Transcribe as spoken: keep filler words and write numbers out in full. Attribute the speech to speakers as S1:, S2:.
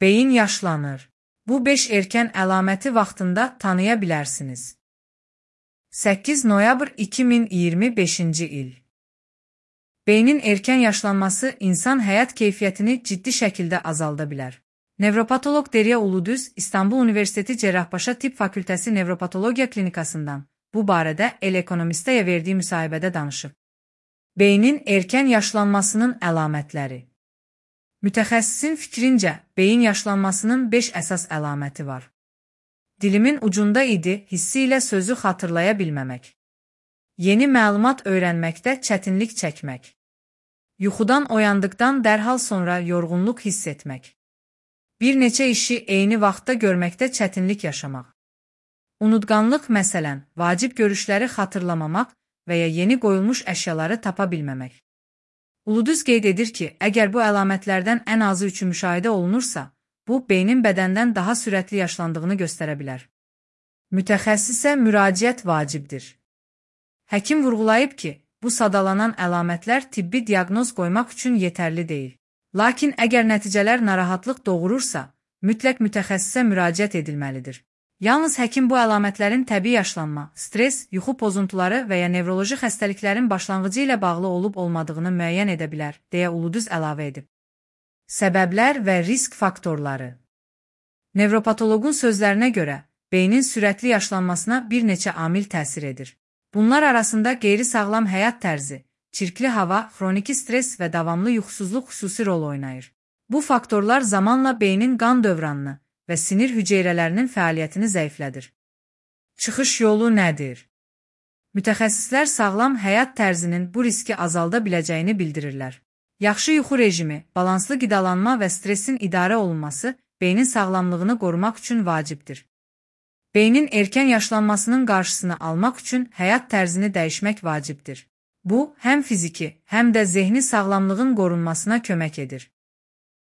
S1: Beyin yaşlanır. Bu beş erkən əlaməti vaxtında tanıya bilərsiniz. səkkiz noyabr iki min iyirmi beşinci il. Beynin erkən yaşlanması insan həyat keyfiyyətini ciddi şəkildə azalda bilər. Nevropatoloq Derya Uludüz, İstanbul Universiteti Cerrahpaşa Tibb Fakültəsi Nevropatologiya Klinikasından bu barədə El Ekonomistəyə verdiyi müsahibədə danışıb. Beynin erkən yaşlanmasının əlamətləri. Mütəxəssisin fikrincə, beyin yaşlanmasının beş əsas əlaməti var. Dilimin ucunda idi hissi ilə sözü xatırlaya bilməmək. Yeni məlumat öyrənməkdə çətinlik çəkmək. Yuxudan oyandıqdan dərhal sonra yorğunluq hiss etmək. Bir neçə işi eyni vaxtda görməkdə çətinlik yaşamaq. Unutqanlıq, məsələn, vacib görüşləri xatırlamamaq və ya yeni qoyulmuş əşyaları tapa bilməmək. Uludüz qeyd edir ki, əgər bu əlamətlərdən ən azı üçü müşahidə olunursa, bu, beynin bədəndən daha sürətli yaşlandığını göstərə bilər. Mütəxəssisə müraciət vacibdir. Həkim vurğulayıb ki, bu sadalanan əlamətlər tibbi diaqnoz qoymaq üçün yetərli deyil. Lakin əgər nəticələr narahatlıq doğurursa, mütləq mütəxəssisə müraciət edilməlidir. Yalnız həkim bu əlamətlərin təbii yaşlanma, stres, yuxu pozuntuları və ya nevroloji xəstəliklərin başlanğıcı ilə bağlı olub-olmadığını müəyyən edə bilər, deyə Uludüz əlavə edib. Səbəblər və risk faktorları. Nevropatoloqun sözlərinə görə, beynin sürətli yaşlanmasına bir neçə amil təsir edir. Bunlar arasında qeyri-sağlam həyat tərzi, çirkli hava, xroniki stres və davamlı yuxusuzluq xüsusi rol oynayır. Bu faktorlar zamanla beynin qan dövranını və sinir hüceyrələrinin fəaliyyətini zəiflədir. Çıxış yolu nədir? Mütəxəssislər sağlam həyat tərzinin bu riski azalda biləcəyini bildirirlər. Yaxşı yuxu rejimi, balanslı qidalanma və stresin idarə olunması beynin sağlamlığını qorumaq üçün vacibdir. Beynin erkən yaşlanmasının qarşısını almaq üçün həyat tərzini dəyişmək vacibdir. Bu, həm fiziki, həm də zehni sağlamlığın qorunmasına kömək edir.